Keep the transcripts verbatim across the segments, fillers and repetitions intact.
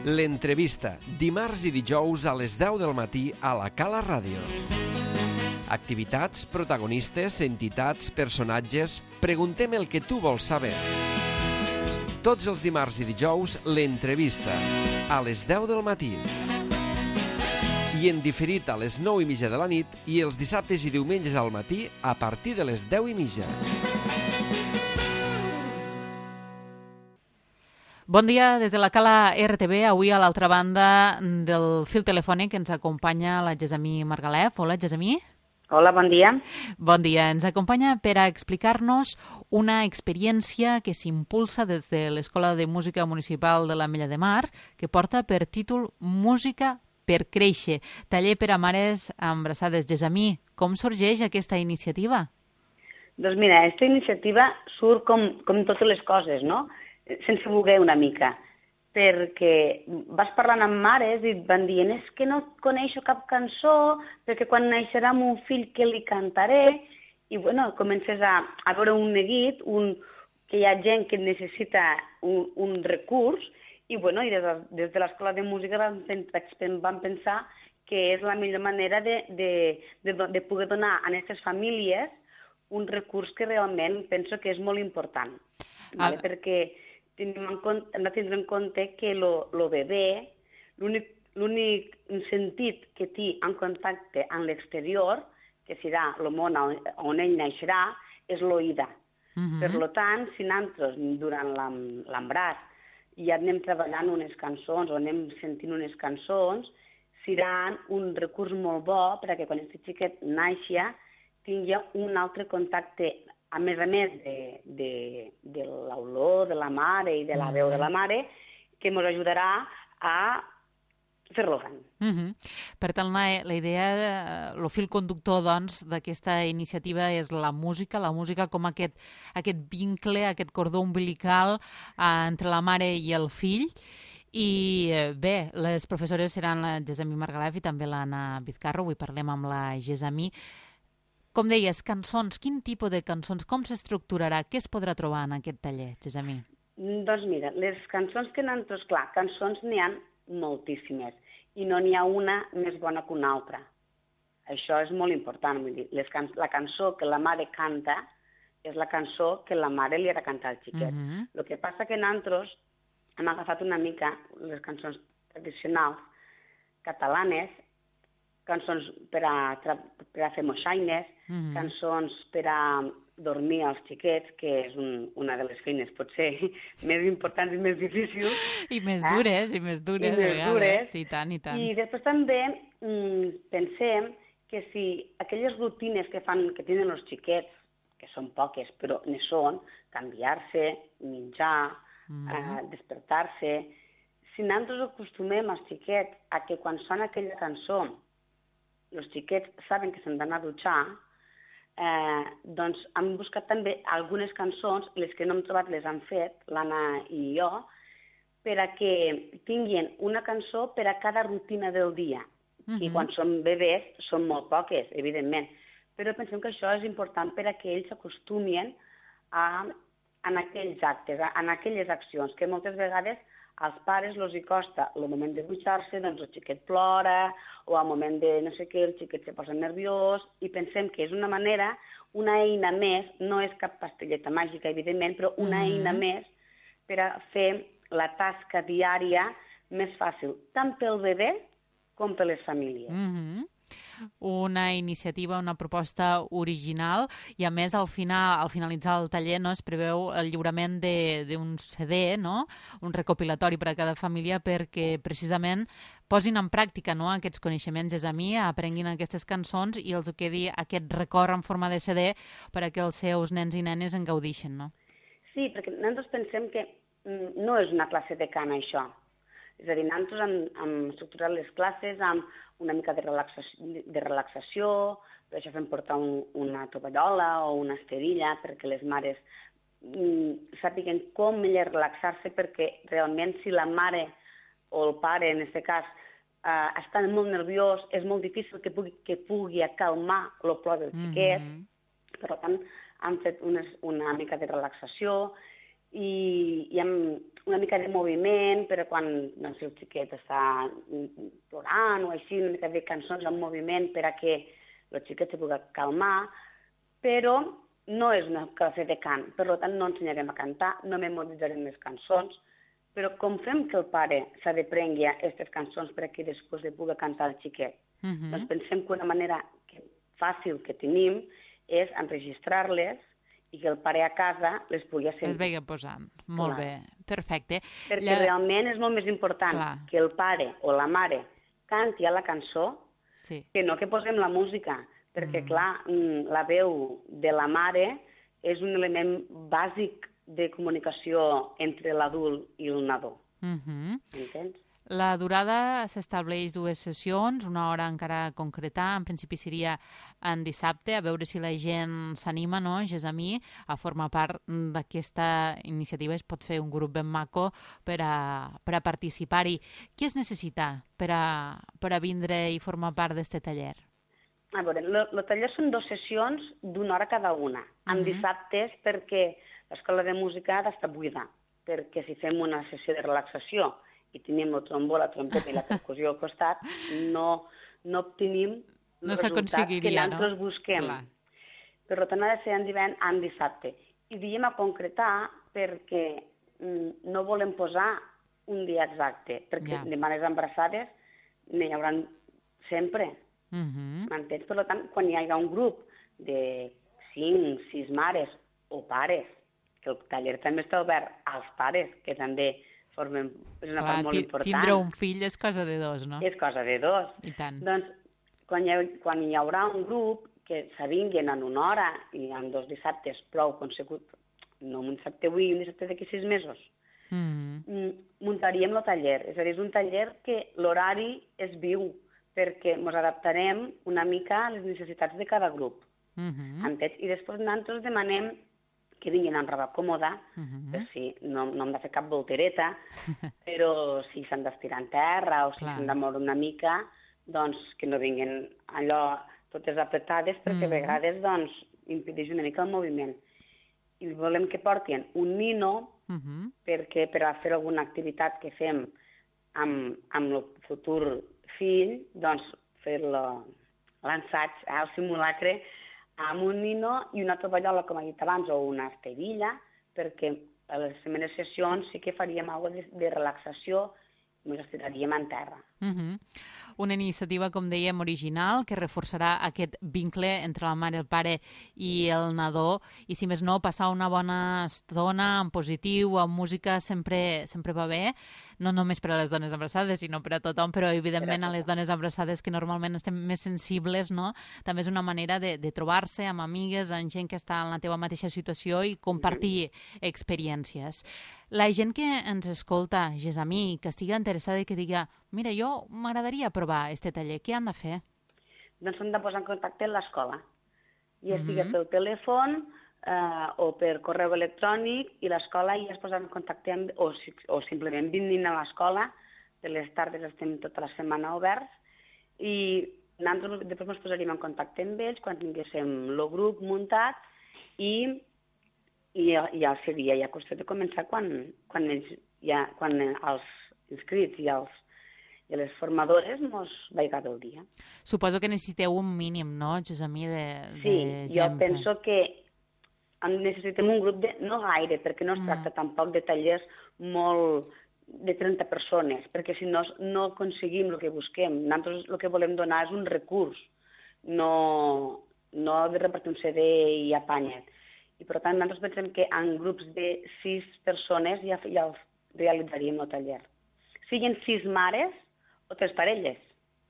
L'entrevista, dimarts i dijous a les deu del matí a la Cala Ràdio. Activitats, protagonistes, entitats, personatges... Preguntem el que tu vols saber. Tots els dimarts i dijous, l'entrevista, a les deu del matí. I en diferit a les nou i mitja de la nit i els dissabtes i diumenges al matí a partir de les deu i mitja. Bon dia des de la Cala R T V. Avui a l'altra banda del fil telefònic ens acompanya la Gessamí Margalef. Hola, Gessamí. Hola, bon dia. Bon dia. Ens acompanya per a explicar-nos una experiència que s'impulsa des de l'Escola de Música Municipal de l'Ametlla de Mar, que porta per títol Música per créixer, taller per a mares embarassades. Gessamí, com sorgeix aquesta iniciativa? Doncs mira, aquesta iniciativa surt com, com totes les coses, no? Sense voler una mica, perquè vas parlant amb mares i et van dient és que no coneixo cap cançó, perquè quan naixerà mon fill que li cantaré, i bueno, comences a, a veure un neguit, un, que hi ha gent que necessita un, un recurs, i bueno, i des de, des de l'Escola de Música vam, vam pensar que és la millor manera de, de, de, de poder donar a aquestes famílies un recurs que realment penso que és molt important, vale? Ah. Perquè hem de tindre en compte que el bebè, l'únic sentit que té en contacte amb l'exterior, que serà el món on ell naixerà, és l'oïda. Uh-huh. Per tant, si nosaltres, durant l'embaràs, ja anem treballant unes cançons o anem sentint unes cançons, seran un recurs molt bo perquè quan aquest xiquet naixi tingui un altre contacte, a més a més de, de, de l'olor de la mare i de la veu de la mare, que ens ajudarà a fer-lo gran. Uh -huh. Per tant, la, la idea, el fil conductor doncs, d'aquesta iniciativa és la música, la música com aquest, aquest vincle, aquest cordó umbilical eh, entre la mare i el fill. I bé, les professores seran la Gessamí Margalef i també l'Anna Vizcarro. Avui parlem amb la Gessamí. Com deies, cançons, quin tipus de cançons, com s'estructurarà, què es podrà trobar en aquest taller, Gessamí? Doncs mira, les cançons que nosaltres, clar, cançons n'hi ha moltíssimes i no n'hi ha una més bona que una altra. Això és molt important, vull dir, les can la cançó que la mare canta és la cançó que la mare li ha de cantar al xiquet. Uh-huh. El que passa que nosaltres hem agafat una mica les cançons tradicionals catalanes, cançons per a, per a fer moixaines, mm-hmm. cançons per a dormir als xiquets, que és un, una de les feines potser més importants i més difícils. I més eh? dures, i més dures. I més dures. I tant, i tant. I després també mm, pensem que si aquelles rutines que fan, que tenen els xiquets, que són poques, però ne són, canviar-se, menjar, mm-hmm. eh, despertar-se, si nosaltres acostumem als xiquets a que quan sona aquella cançó els xiquets saben que s'han d'anar a dutxar, eh, doncs hem buscat també algunes cançons, les que no hem trobat les han fet, l'Anna i jo, per a que tinguin una cançó per a cada rutina del dia. Uh-huh. I quan són bebès són molt poques, evidentment, però pensem que això és important per a que ells s'acostumin a, a aquells actes, a, a aquelles accions, que moltes vegades als pares els hi costa el moment de dutxar-se, doncs el xiquet plora, o al moment de no sé què, el xiquet se posa nerviós, i pensem que és una manera, una eina més, no és cap pastelleta màgica, evidentment, però una mm-hmm. eina més per a fer la tasca diària més fàcil, tant pel bebè com per les famílies. Mm-hmm. Una iniciativa, una proposta original i a més al final, al finalitzar el taller no, es preveu el lliurament d'un C D, no? Un recopilatori per a cada família perquè precisament posin en pràctica no, aquests coneixements, Gessamí, aprenguin aquestes cançons i els quedi aquest record en forma de C D per a que els seus nens i nenes en gaudixen, no? Sí, perquè nosaltres pensem que no és una classe de cant, això. És a dir, nosaltres hem, hem estructurat les classes amb una mica de relaxació, de relaxació, per això fem portar un, una tovallola o una esterilla perquè les mares mm, sàpiguen com ella relaxar-se, perquè realment si la mare o el pare, en aquest cas, eh, està molt nerviós, és molt difícil que pugui, que pugui acalmar el plor del xiquet. Mm-hmm. Per tant, han fet unes, una mica de relaxació i, i amb una mica de moviment, però quan doncs, el xiquet està plorant o així, una mica de cançons en moviment per a que el xiquet se pugui calmar, però no és una classe de cant, per tant no ensenyarem a cantar, no memoritzarem les cançons, però com fem que el pare s'ha de prengui aquestes cançons perquè després li pugui cantar al xiquet? Uh-huh. Doncs pensem que una manera que, fàcil que tenim és enregistrar-les i que el pare a casa les pugui sentir. Les vegi posant. Molt Clar. bé, perfecte. Perquè Lla... realment és molt més important Clar. que el pare o la mare canti a la cançó sí. que no que posem la música. Perquè, mm. clar, la veu de la mare és un element bàsic de comunicació entre l'adult i el nadó. Mm-hmm. Entens? La durada s'estableix dues sessions, una hora encara a concretar, en principi seria en dissabte, a veure si la gent s'anima, no, Gessamí, a formar part d'aquesta iniciativa. Es pot fer un grup ben maco per a, per a participar-hi. Què es necessita per a, per a vindre i formar part d'aquest taller? A veure, el taller són dues sessions d'una hora cada una, en uh-huh. dissabtes perquè l'escola de música ha d'estar buida, perquè si fem una sessió de relaxació i tenim el trombó, la trompeta i la percussió al costat, no, no obtenim els no resultats que nosaltres no? busquem. Clar. Per tant, ha de ser en divendres, en dissabte. I diem a concretar perquè mm, no volem posar un dia exacte, perquè yeah. de mares embarassades n'hi haurà sempre. Uh-huh. M'entens? Per tant, quan hi hagi un grup de cinc, sis mares o pares, que el taller també està obert als pares, que també formen, és una Clar, part molt important. Tindre un fill és cosa de dos, no? És cosa de dos. I tant. Doncs, quan hi, ha, quan hi haurà un grup que s'avinguen en una hora i en dos dissabtes prou consecutius, no un dissabte avui i un dissabte d'aquí sis mesos, uh-huh. muntaríem el taller. És a dir, és un taller que l'horari és viu, perquè ens adaptarem una mica a les necessitats de cada grup. Uh-huh. I després nosaltres demanem que vinguin amb roba còmoda, uh-huh. per si no, no hem de fer cap voltereta, però si s'han d'estirar en terra o si Clar. s'han de moure una mica, doncs que no vinguin allò totes apretades, perquè uh-huh. a vegades doncs, impedeix una mica el moviment. I volem que portin un nino, uh-huh. perquè per a fer alguna activitat que fem amb, amb el futur fill, doncs fer l'ensaig, eh, el simulacre, amb un nino i una tovallola, com he dit abans, o una esterilla, perquè a les primeres sessions sí que faríem alguna de, de relaxació i ens estiraríem en terra. Uh-huh. Una iniciativa, com dèiem, original, que reforçarà aquest vincle entre la mare, el pare i el nadó, i si més no, passar una bona estona en positiu, amb música, sempre, sempre va bé, no només per a les dones embarassades, sinó per a tothom, però evidentment a les dones embarassades que normalment estem més sensibles, no? També és una manera de, de trobar-se amb amigues, amb gent que està en la teva mateixa situació i compartir mm-hmm. experiències. La gent que ens escolta, Gessamí, que estigui interessada i que diga mira, jo m'agradaria provar este taller, què han de fer? Doncs s'han de posar en contacte amb l'escola. Ja estigui Mm-hmm. pel telèfon eh, o per correu electrònic i l'escola ja es posa en contacte amb, o, o simplement vinguin a l'escola, de les tardes estem tota la setmana oberts i nosaltres després ens posaríem en contacte amb ells quan tinguéssim el grup muntat i i ja seria ja qüestió de començar quan, quan, ells, ja, quan els inscrits i, els, i les formadores mos vaiga del dia. Suposo que necessiteu un mínim, no, Gessamí, de, de sí, gent? Sí, jo penso que necessitem un grup de... no gaire, perquè no es Mm. tracta tampoc de tallers molt de trenta persones, perquè si no, no aconseguim el que busquem. Nosaltres el que volem donar és un recurs, no, no de repartir un C D i apanya't. I per tant, nosaltres pensem que en grups de sis persones ja, ja realitzaríem el taller. Siguin sis mares o tres parelles.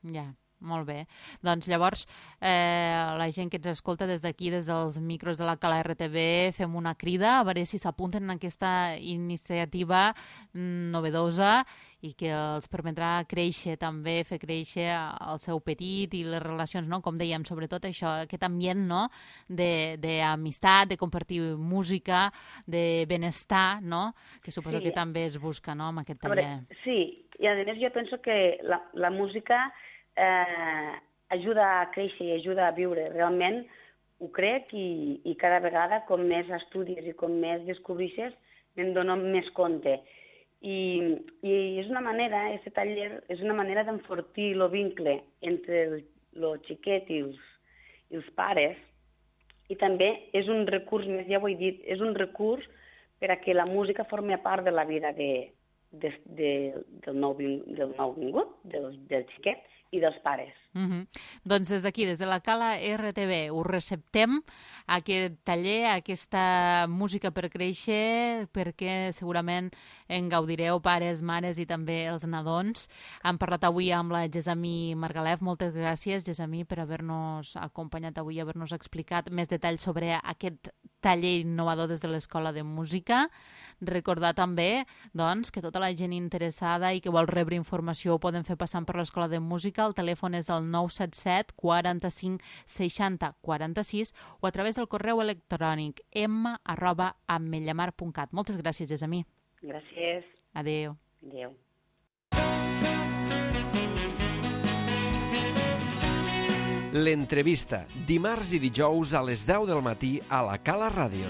Ja, molt bé. Doncs llavors, eh, la gent que ens escolta des d'aquí, des dels micros de la Cala R T V, fem una crida a veure si s'apunten en aquesta iniciativa novedosa i que els permetrà créixer també, fer créixer el seu petit i les relacions, no? Com dèiem, sobretot això, aquest ambient, no? d'amistat, de, de compartir música, de benestar, no? Que suposo sí. que també es busca, no?, amb aquest taller. Veure, sí, i a més jo penso que la, la música eh, ajuda a créixer i ajuda a viure. Realment ho crec i, i cada vegada com més estudis i com més descobreixes me'n dono més compte. I, i és una manera, aquest taller, és una manera d'enfortir el vincle entre el, el xiquet i els, i els pares, i també és un recurs, més ja ho he dit, és un recurs per a que la música formi part de la vida de, de, de, del, nou, del nou vingut, del, del xiquet i dels pares. Mm-hmm. Doncs des d'aquí, des de la Cala R T V, us receptem aquest taller, aquesta música per créixer, perquè segurament en gaudireu pares, mares i també els nadons. Hem parlat avui amb la Gessamí Margalef. Moltes gràcies, Gessamí, per haver-nos acompanyat avui, haver-nos explicat més detalls sobre aquest taller innovador des de l'Escola de Música. Recordar també doncs, que tota la gent interessada i que vol rebre informació ho poden fer passant per l'Escola de Música. El telèfon és el nou set set quaranta-cinc seixanta quaranta-sis o a través del correu electrònic m arroba ametlllamar punt cat. Moltes gràcies, Gessamí. Gràcies. Adéu. Adéu. L'entrevista, dimarts i dijous a les deu del matí a la Cala Ràdio.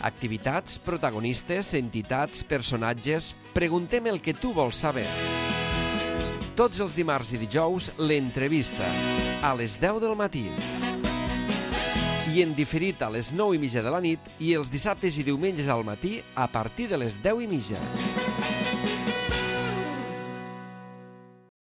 Activitats, protagonistes, entitats, personatges... Preguntem el que tu vols saber. Tots els dimarts i dijous, l'entrevista, a les deu del matí. I en diferit a les nou i mitja de la nit i els dissabtes i diumenges al matí a partir de les deu i mitja.